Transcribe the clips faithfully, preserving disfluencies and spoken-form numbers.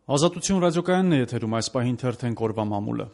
Ազատություն ռադիոկայանն է եթերում, այս պահին թերթենք օրվա մամուլը։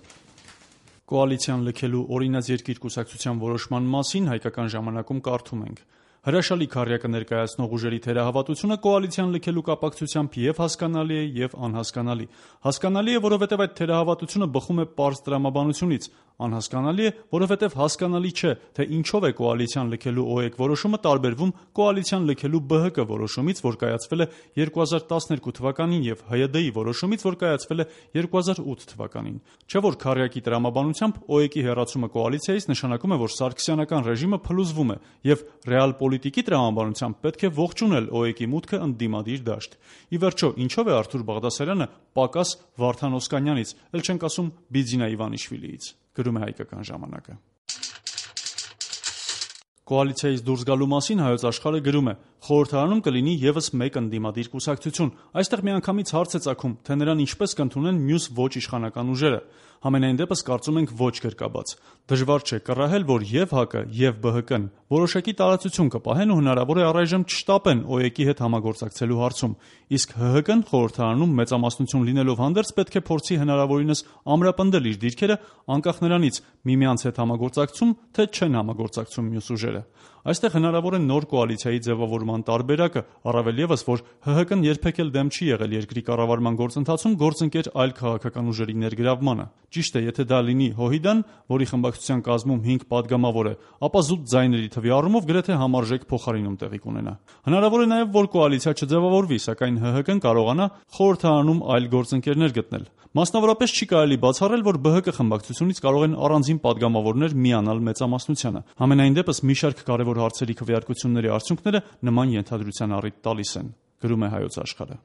Կոալիցիան լքելու օրինաց երկիր կուսակցության որոշման մասին հայկական ժամանակում կարդում ենք. Հրաշալի քառյակը ներկայացնող ուժերի թերահավատությունը կոալիցիան լքելու կապակցությամբ եւ հասկանալի է եւ անհասկանալի։ Հասկանալի է, որովհետեւ այդ թերահավատությունը բխում է պարզ տրամաբանությունից, անհասկանալի է, որովհետեւ հասկանալի չէ, թե ինչով է կոալիցիան լքելու ՕԵԿ որոշումը տարբերվում կոալիցիան լքելու ԲՀԿ որոշումից, որ կայացվել է երկու հազար տասներկու թվականին եւ ՀՅԴ-ի որոշումից, որ կայացվել է երկու հազար ութ թվականին։ Չէ՞ որ քառյակի տրամաբանությամբ ՕԵԿ-ի հեռացումը կոալիցիայից նշանակում է, որ սարգսյանական ռեժիմը փլուզվում է եւ ռեալ պոլիտիկի տրամաբանությամբ պետք է ողջունել ՕԵԿ-ի մուտքը ընդդիմադիր դաշտ։ Ի վերջո, ինչով է Արթուր Բաղդասարյանը պակաս Վարդան Օսկանյանից, ել չենք ասում Բիձինա Իվանիշվիլիից, գրում է հայկական ժամանակը։ Կոալիցիայից դուրս գալու մասին Հայոց Աշխարհը գրում է. խորհրդարանում կլինի եւս մեկ ընդդիմադիր կուսակցություն։ Այստեղ միանգամից հարց է ծագում, թե նրան ինչպես կընդունեն մյուս ոչ իշխանական ուժերը։ Համենայն դեպս կարծում ենք ոչ գրկաբաց։ Դժվար չէ կռահել, որ եւ ՀԱԿ-ը եւ ԲՀԿ-ն որոշակի տարածություն կպահեն ու հնարավոր է առայժմ չշտապեն ՕԵԿ-ի հետ համագործակցելու հարցում։ Իսկ ՀՀԿ-ն խորհրդարանում մեծամասնություն լինելով հանդերձ պետք է փորձի հնարավորինս ամրապնդել իր դիրքերը անկախ նրանից միմյանց հետ համագործակցում, թե չեն համագործակցում մյուս ուժերը։ Այստեղ հնարավոր է նոր կոալիցիայի ձևավորման տարբերակը, առավել ևս, որ ՀՀԿ-ն երբեք էլ դեմ չի եղել երկրի կառավարման գործընթացում գործընկեր այլ քաղաքական ուժերի ներգրավմանը։ Ճիշտ է, եթե դա լինի ՀՅԴ-ն, որի խմբակցության կազմում հինգ падգամավոր է, ապա զուտ ձայների թվի առումով գրեթե համարժեք փոխարինում տեղի կունենա։ Հնարավոր է նաև, որ կոալիցիա չձևավորվի, սակայն ՀՀԿ-ն կարողանա խորհրդարանում այլ գործընկերներ գտնել։ Մասնավորապես չի կարելի բացառել, որ ԲՀԿ խմբակցությունից կարող են առանձին падգամավորներ միանալ մեծամասնությանը։ Համենայն դեպս մի շարք կարևոր հարցերի քվեարկությունների արդյունքները նման ենթադրության առիթ տալիս են, գրում է Հայոց Աշխարհը։